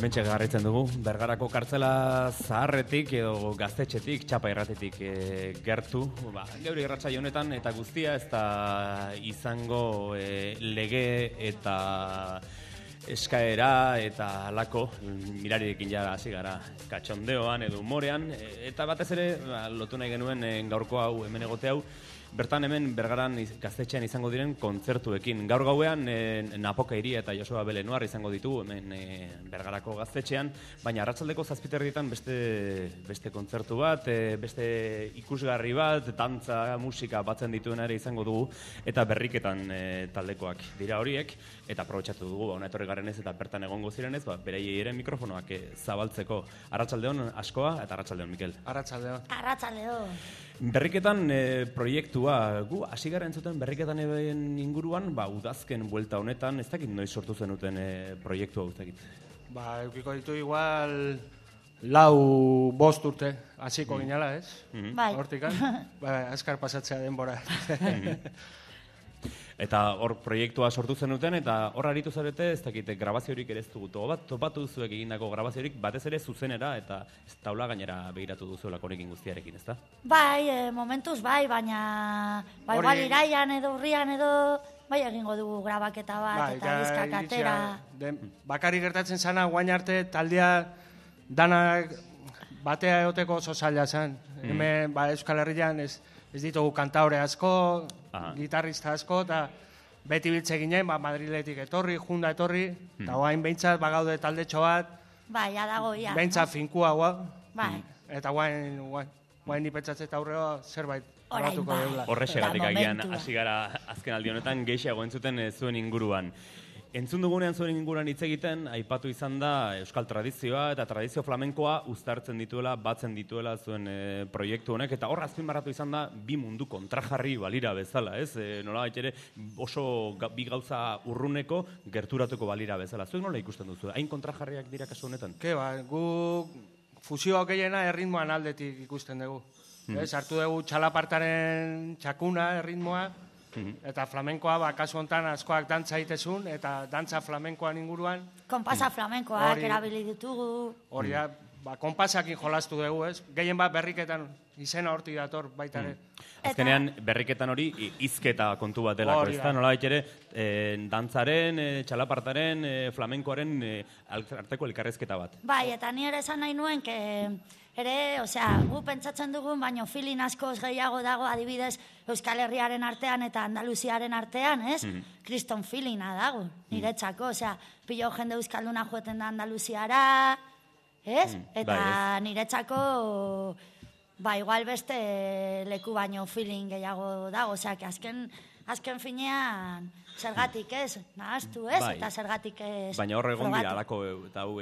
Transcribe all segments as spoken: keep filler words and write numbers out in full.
Hementxe garritzen dugu, Bergarako kartzela zaharretik edo gaztetxetik, txapa irratetik e, gertu. Ba, geure irratsaio honetan eta guztia ez da izango e, lege eta eskaera eta alako mirarirekin ja hasi gara katxondeoan edo humorean. Eta batez ere ba, lotu nahi genuen e, gaurko hau hemen egote hau, bertan hemen Bergaran gaztetxean izango diren kontzertuekin. Gaur gauean e, Napoka Iria eta Joseba Belenuar izango ditu hemen e, Bergarako gaztetxean, baina arratsaldeko zazpiterrietan beste, beste kontzertu bat, e, beste ikusgarri bat, dantza, musika batzen dituen ere izango dugu, eta berriketan e, taldekoak dira horiek, eta aprobetxatu dugu, ba, ona etorri garenez eta bertan egongo zirenez, ba, beraiei ere mikrofonoak e, zabaltzeko. Arratsaldeon Askoa eta arratsaldeon Mikel. Arratsaldeon. Arratsaldeon. Berriketan e, proiektua, gu hasi gara entzuten berriketan inguruan, ba, udazken buelta honetan, ez dakit noiz sortu zenuten e, proiektua ez dakit? Ba, eukiko ditu igual lau bost urte, hasiko mm. ginala, ez? Mm. Bai. Hortikan, ba, azkar pasatzea denbora. Eta hor proiektua sortu zenuten, eta hor aritu zarete, ez dakite, grabaziorik ere ez dugu topat, topatu duzuek egindako grabaziorik, batez ere zuzenera, eta ez taula gainera begiratu duzuelako honekin guztiarekin, ez da? Bai, e, momentuz bai, baina bai, Hori... igual iraian edo urrian edo, bai egingo dugu grabaketa bat, bai, eta diskak atera. Bakari gertatzen zana, guain arte taldea danak batea egoteko oso zaila zen. Mm. Hemen, ba, Euskal Herrian ez, ez ditugu kantaure asko, aha, gitarrista asko, eta beti biltze ginen, ba, Madriletik etorri, junda etorri, eta mm. guain behintzat bagaude taldetxo bat, bai, adago, ja. Behintzat no? Finkua, gua, bai. Eta guain, guain, guain nipetzatzeta aurreo zerbait grabatuko deula. Horrexegatik agian, hasi gara azken aldi honetan gehiago entzuten zuen inguruan. Entzun dugunean zuen inguruan hitz egiten, aipatu izan da euskal tradizioa eta tradizio flamenkoa uztartzen dituela, batzen dituela zuen e, proiektu honek, eta hor azpimarratu izan da bi mundu kontrajarri balira bezala, ez? E, nola ere oso ga, bi gauza urruneko gerturatuko balira bezala. Zuek nola ikusten duzu? Hain kontrajarriak dira kasu honetan? Ke ba, gu fusioa gehiena erritmoan aldetik ikusten dugu. Mm. Ez, hartu dugu txalapartaren txakuna erritmoa, mm-hmm, eta flamenkoa, ba, kasu honetan askoak dantza egitezun, eta dantza flamenkoan inguruan. Konpasa flamenkoak erabili ditugu. Hori da, ba, konpasakin jolastu dugu, ez? Gehien bat berriketan izena hortik dator baita ere. Mm. Azkenean berriketan hori hizketa kontu bat delako, ez da? Nola ere, e, dantzaren, e, txalapartaren, e, flamenkoaren e, arteko elkarrezketa bat. Bai, eta ni ere esan nahi nuen, que ere, osea, gu pentsatzen dugun, baino filin askoz gehiago dago adibidez Euskal Herriaren artean eta Andaluziaren artean, ez? Mm-hmm. Kriston filina dago, niretzako, osea, pilo jende euskalduna joeten da Andaluziara, ez? Mm, eta bai, niretzako, ba, igual beste leku baino filin gehiago dago, osea, que azken, azken finean zergatik ez, nahaztu ez, bai, eta zergatik ez. Baina horre egon dira alako, eta hau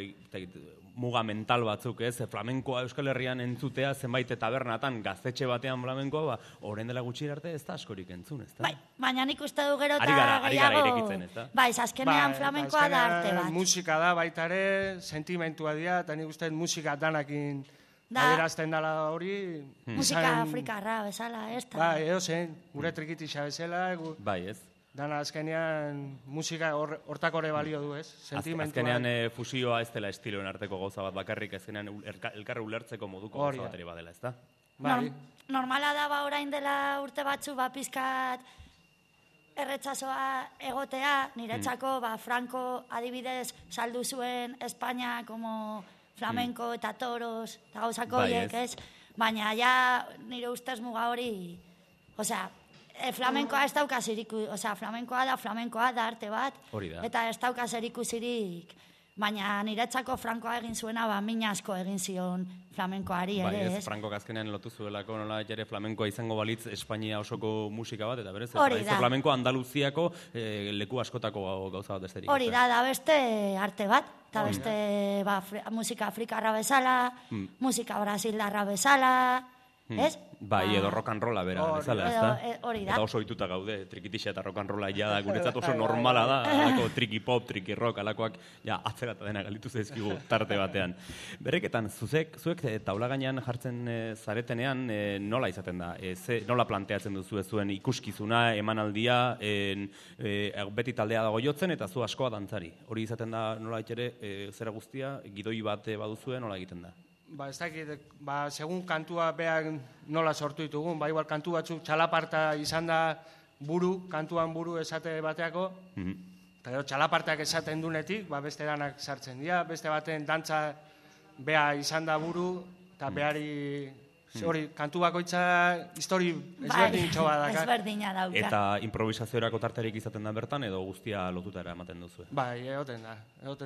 muga mental batzuk, ez? Flamenkoa Euskal Herrian entzutea, zenbait tabernatan, gaztetxe batean flamenkoa, ba, orain dela gutxi arte ez da askorik entzun, ez da? Bai, baina nik uste du gero eta gehiago... Ari gara irekitzen, ez da? Bai, azkenean flamenkoa da arte bat. Musika da baita ere, sentimentua dira, eta nik uste musika danakin adierazten dela hori... Hmm. Musika afrikarra bezala, ez da? Bai, edo zen, gure trikitixa bezala... Gu... Bai, ez? Dana azkenean musika hortak hor, horre balio du, ez? Sentimentua. Azkenean e, fusioa ez dela estiloen arteko gauza bat bakarrik, azkenean elkarri ulertzeko moduko gauza bateri badela, ez da? Bai. Normala da ba orain dela urte batzu, ba pizkat erretzazoa egotea, niretzako, mm, ba Franco adibidez saldu zuen Espainia como flamenko eta toros, eta gauzako horiek, ez? Baina ja nire ustez muga hori, osea, E, flamenkoa ez dauka ziriku, osea, flamenkoa da, flamenkoa da arte bat, eta ez dauka ziriku zirik, baina niretzako Frankoa egin zuena, ba, min asko egin zion flamenkoari ere, bai, ez? ez? Franko azkenean lotu zuelako, nola ere flamenkoa izango balitz Espainia osoko musika bat, eta berez, hori da. Flamenkoa Andaluziako e, leku askotako gauza bat besterik. Hori da, da beste arte bat, eta beste ba, musika afrikarra bezala, hmm, musika brasildarra bezala, hmm, ez? Bai, edo rock and rolla bera, bezala, ez da? Hori da. Eta oso ohituta gaude, trikitixa eta rock and rolla ja da, guretzat oso normala da, alako triki pop, triki rock, alakoak, ja, atzerata dena galitu zaizkigu tarte batean. Berreketan, zuzek, zuek taula gainean jartzen zaretenean, nola izaten da? Nola planteatzen duzu ez zuen ikuskizuna, emanaldia, beti taldea dago jotzen, eta zu askoa dantzari. Hori izaten da nola ere, zera guztia, gidoi bat baduzue, nola egiten da? Ba, ez dakit, ba, segun kantua behar nola sortu ditugun, ba, igual kantu batzuk txalaparta izan da buru, kantuan buru esate bateako, eta gero txalapartak esaten dunetik, ba, beste danak sartzen dira, beste baten dantza beha izan da buru, eta behari, hori, kantu bakoitza histori ezberdin txoba daka. Ezberdina dauka. Eta improvisaziorako tartarik izaten da bertan, edo guztia lotutara ematen duzu? Bai, egoten da.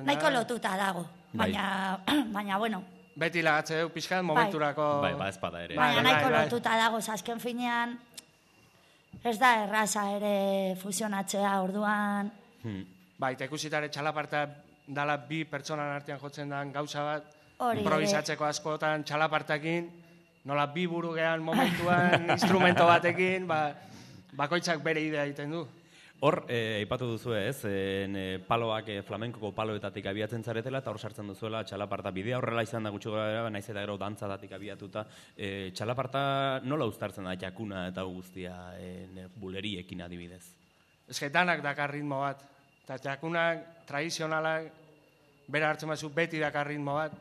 Nahiko lotuta dago, baina, bueno, beti lagatze du pixkat momenturako... Bai, ba, ezpada ere. Baina nahiko lotuta dago, azken finean ez da erraza ere fusionatzea orduan. Bai, eta ikusitare txalaparta dala bi pertsonan artean jotzen den gauza bat, Hori improvisatzeko askotan txalapartakin, nola bi buru gehan momentuan instrumento batekin, bakoitzak bere idea egiten du. Hor, aipatu duzu ez, paloak flamenkoko paloetatik abiatzen zaretela, eta hor sartzen duzuela txalaparta bidea, horrela izan da gutxi gara, naiz eta gero dantzadatik abiatuta. Txalaparta nola uztartzen da jakuna eta guztia buleriekin adibidez? Ez que danak dakar ritmo bat, eta jakunak tradizionalak bera hartzen bazu beti dakar ritmo bat,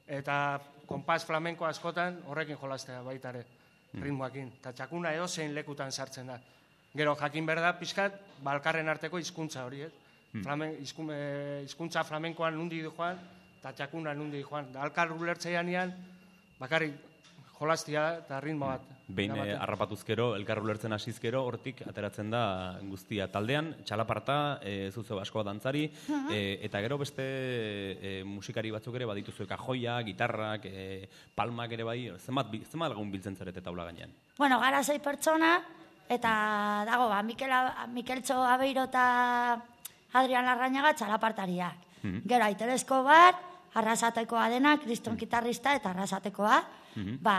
eta konpas flamenko askotan horrekin jolastea baitare ritmoakin, eta jakuna edozein lekutan sartzen da. Gero, jakin berda, pixkat, balkarren arteko hizkuntza hori, hizkuntza flamenkoan nundi du joan, eta txakuna nundi du joan. Alkar ulertzeian ean, bakarrik jolastia eta ritmo bat. Behin harrapatuzkero, elkar ulertzen hasizkero, hortik ateratzen da guztia. Taldean, txalaparta, zuzo asko dantzari, eta gero beste musikari batzuk ere badituzu kajoia, gitarrak, palmak ere bai, zenbat lagun biltzen zarete taula gainean? Bueno, gara zei pertsona, eta dago, ba, Mikeltxo Abeiro eta Adrian Larrañaga txalapartariak. Gero, Aitor Escobar, arrasatekoa dena, kriston gitarrista eta arrasatekoa, ba,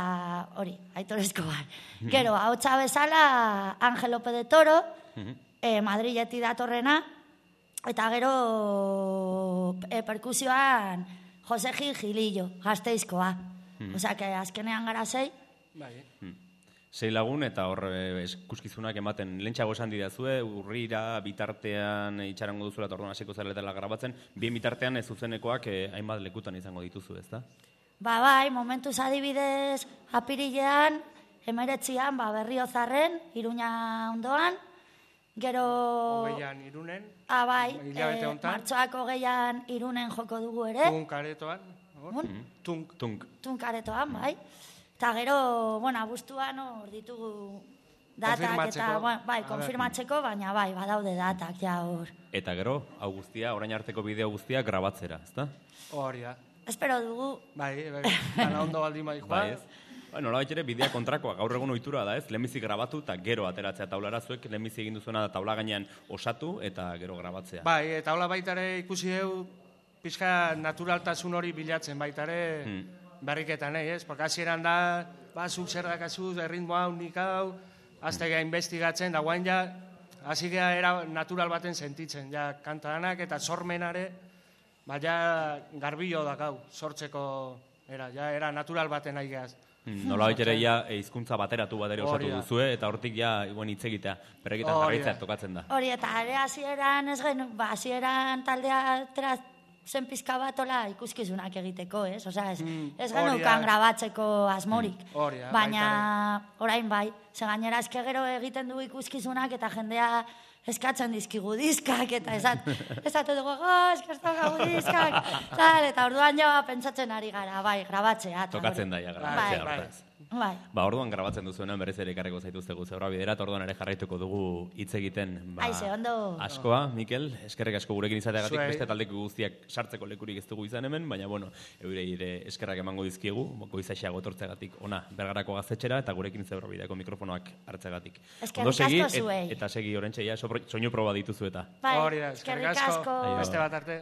hori, Aitor Escobar. Gero, hautsa bezala, Ángel López de Toro, Madrileti datorrena, eta gero, perkusioan, Jose Gil Gilillo, Gasteizkoa. Osea, que azkenean gara zei. Bai, sei lagun eta hor eskuskizunak ematen lentsago esan didazue, urrira bitartean itxarango duzuela eta orduan hasiko zaretela grabatzen, bien bitartean ez zuzenekoak hainbat lekutan izango dituzu, ezta? Ba bai, momentuz adibidez apirilean, emeretzian, ba Berriozarren, Iruña ondoan, gero... Hogeian Irunen, ah, bai, martxoak hogeian Irunen joko dugu ere. Tunk aretoan. Tunk. Tunk aretoan, bai. Eta gero, bueno, abuztuan hor ditugu datak eta, bai, konfirmatzeko, baina bai, badaude datak, ja hor. Eta gero, hau guztia, orain arteko bideo guztia grabatzera, ezta? Hori da. Espero dugu. Bai, bai, gana ondo baldin bai, joan. Bueno, nola ere bidea kontrakoa, gaur egun ohitura da, ez? Lehenbizi grabatu eta gero ateratzea taulara, zuek lehenbizi egin duzuena da taula gainean osatu eta gero grabatzea. Bai, taula baitare ikusi dugu, pixka naturaltasun hori bilatzen baitare, berriketan, ez? Porque hasieran da, ba, zuk zer dakazuz, erritmo hau, nik hau, azte geha investigatzen, da guain ja, hasi geha era natural baten sentitzen, ja, kantadanak eta sormenare, ba, ja, garbillo dakau, sortzeko, era, ja, era natural baten nahi gehaz. Nola ere ja hizkuntza bateratu bat ere osatu duzue, eta hortik ja hitz egitea, berrekitan jarraitzea tokatzen da. Hori, eta ere hasieran, ez gen, ba, hasieran taldea zen pizka batola ikuskizunak egiteko, ez? Osea, ez genukan grabatzeko asmorik. Baina, orain bai, ze gainera eske gero egiten du ikuskizunak eta jendea eskatzen dizkigu diskak, eta esatu dugu, eske ez daukagu diskak, eta orduan jo pentsatzen ari gara, bai, grabatzea. Tokatzen da, ja, grabatzea, hortaz. Bai. Ba, orduan grabatzen duzuenan berez ere ekarriko zaituztegu zeura bidera, eta orduan ere jarraituko dugu hitz egiten. Aize, ondo. Askoa, Mikel, eskerrek asko gurekin izateagatik, beste taldeko guztiak sartzeko lekurik ez dugu izan hemen, baina, bueno, eurei ere eskerrak emango dizkiegu, goizaxeago etortzeagatik ona Bergarako Gaztetxera, eta gurekin zeura bideako mikrofonoak hartzeagatik. Eskerrik asko zuei. Eta segi orentxe, ja, soinu proba dituzu eta. Bai, eskerrik asko. Beste bat arte.